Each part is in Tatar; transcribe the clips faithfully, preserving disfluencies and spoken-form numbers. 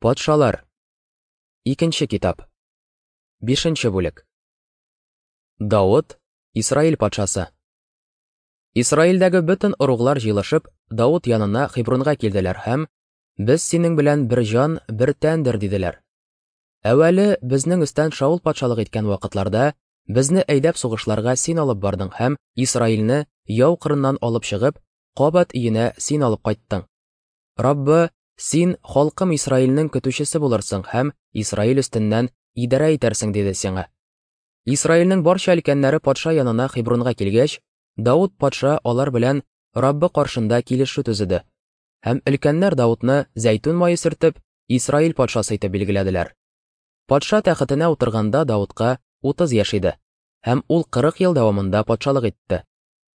Патшалар. Икенче китап. Бишенче бүлек. Давыт, Исраил патшасы. Исраилдәге бөтен ыруглар җыелышып, Давыт янына Хебронга килделәр һәм: "Без синең белән бер җан, бер тәндер", диделәр. Әүвәле безнең өстән Шаул патшалык иткән вакытларда безне әйдәп сугышларга син алып бардың һәм Исраилне яу кырыннан алып чыгып, кабат өенә син алып кайттың. Раббы, син халкым Исраилнең көтүчесе булырсың һәм Исраил өстеннән идарә итәрсең, диде сиңа. Исраилнең барча өлкәннәре патша янына Хебронга килгәч, Давыт патша алар белән Раббы каршында килешү төзеде. Һәм өлкәннәр Давытны зәйтүн мае сөртеп, Исраил патшасы итеп билгеләделәр. Патша тәхетенә утырганда Давытка утыз яшь иде, һәм ул кырык ел дәвамында патшалык итте.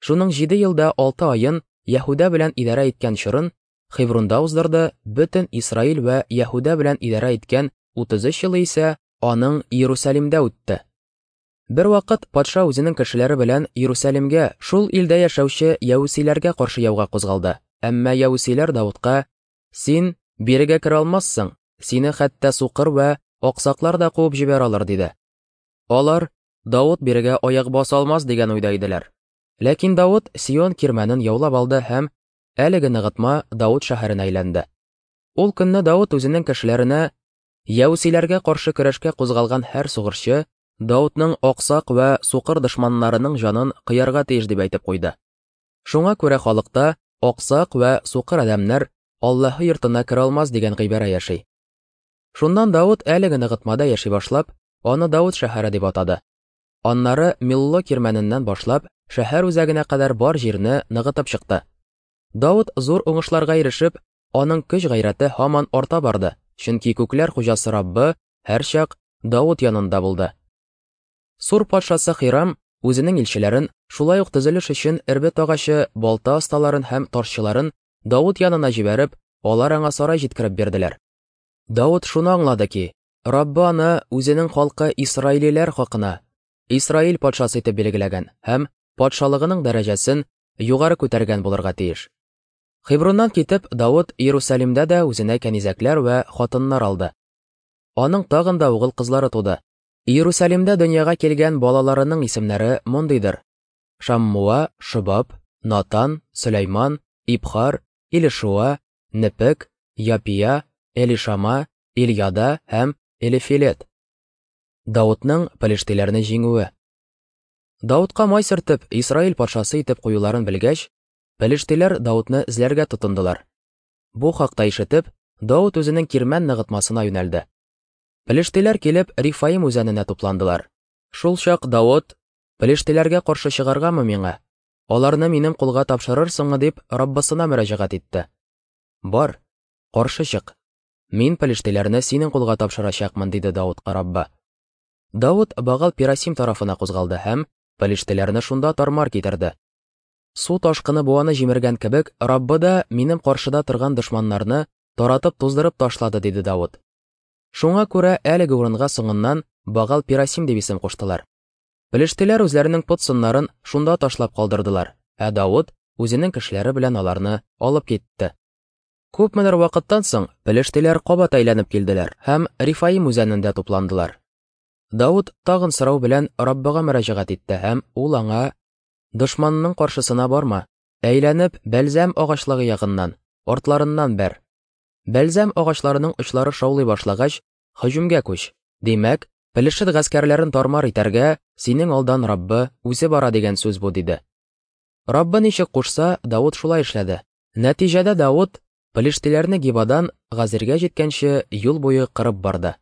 Шуның җиде елда алты аен Яһүдә белән идарә иткән чорын Хебронда уздырды, бөтен Исраил вә Яһүдә белән идарә иткән утыз өч елы исә аның Иерусалимдә үтте. Бер вакыт патша үзенең кешеләре белән Иерусалимгә, шул илдә яшәүче яһүдиләргә каршы яуга кузгалды. Әмма яһүдиләр Давытка: "Син бирегә керә алмассың, сине хәтта сукыр вә аксаклар да куып җибәрә алыр", диде. Алар Давыт бирегә аяк баса алмас дигән уйда иделәр. Ләкин Давыт Сион кирмәнен яулап алды һәм әлеге ныгытма Давыт шәһәренә әйләнде. Ул көнне Давыт үзенең кешеләренә: "Яһүдиләргә каршы көрәшкә кузгалган һәр сугышчы Давытның аксак вә сукыр дошманнарының җанын кыярга тиеш", дип әйтеп куйды. Шуңа күрә халыкта аксак вә сукыр адәмнәр Аллаһы йортына керә алмас дигән гыйбарә яши. Шуннан Давыт әлеге ныгытмада яши башлап, аны Давыт шәһәре дип атады. Аннары Милло кирмәненнән башлап, шәһәр үзәгенә кадәр бар җирне ныгытып чыкты. Давыт зур уңышларга ирешеп, аның көч гайрәте һаман арта барды, чөнки күкләр хуҗасы Раббы һәрчак Давыт янында булды. Сур патшасы Хирам үзенең илчеләрен, шулай ук төзелеш өчен эрбет агачы, балта осталарын һәм ташчыларын Давыт янына җибәреп, алар аңа сарай җиткереп бирделәр. Давыт шуны аңлады ки, Раббы аны үзенең халкы Исраилиләр хакына Исраил патшасы итеп билгеләгән һәм патшалыгының дәрәҗәсен югары күтәргән булырга тиеш. Хеброннан китеп, Давыт Иерусалимдә дә үзенә кәнизәкләр вә хатыннар алды. Аның тагын да угыл кызлары туды. Иерусалимдә дөньяга килгән балаларының исемнәре мондыйдыр: Шаммуа, Шобаб, Натан, Сөләйман, Ибхар, Илишуа, Непек, Япия, Элишама, Ильяда һәм Элифилет. Давытның пелештиләрне җиңүе. Давытка май сөртеп, Исраил патшасы итеп куюларын белгәч, пелештиләр Давытны эзләргә тотындылар. Бу хакта ишетеп, Давыт үзенең кирмән ныгытмасына юнәлде. Пелештиләр килеп Рифаим үзәненә тупландылар. Шул чак Давыт: "Пелештиләргә каршы чыгаргамы миңа? Аларны минем кулга тапшырырсыңмы?" дип Раббысына мөрәҗәгать итте. "Бар, каршы чык. Мин пелештиләрне синең кулга тапшырачакмын", диде Давытка Раббы. Давыт Багал Пирасим тарафына кузгалды һәм пелештиләрне шунда тармар китерде. Су ташкыны буаны җимергән кебек, Раббы да минем каршыда торган дошманнарны таратып туздырып ташлады, диде Давыт. Шуңа күрә әлеге урынга соңыннан Багал Пирасим дип исем куштылар. Пелештиләр үзләренең пот сыннарын шунда ташлап калдырдылар, ә Давыт үзенең кешеләре белән аларны алып китте. Күпмедер вакыттан соң пелештиләр кабат әйләнеп килделәр һәм Рифаим үзәнендә тупландылар. Давыт тагын сорау белән Раббыга мөрәҗәгать итте һәм ул аңа: "Дошманның каршысына барма, әйләнеп бәлзәм агачлыгы ягыннан, артларыннан бәр. Бәлзәм агачларының очлары шаулый башлагач, һөҗүмгә күч. Димәк, пелешет гаскәрләрен тармар итәргә синең алдан Раббы үзе бара дигән сүз бу", диде. Раббы ничек кушса, Давыт шулай эшләде. Нәтиҗәдә Давыт пелештиләрне Гибадан Газиргә җиткәнче юл буе кырып барды.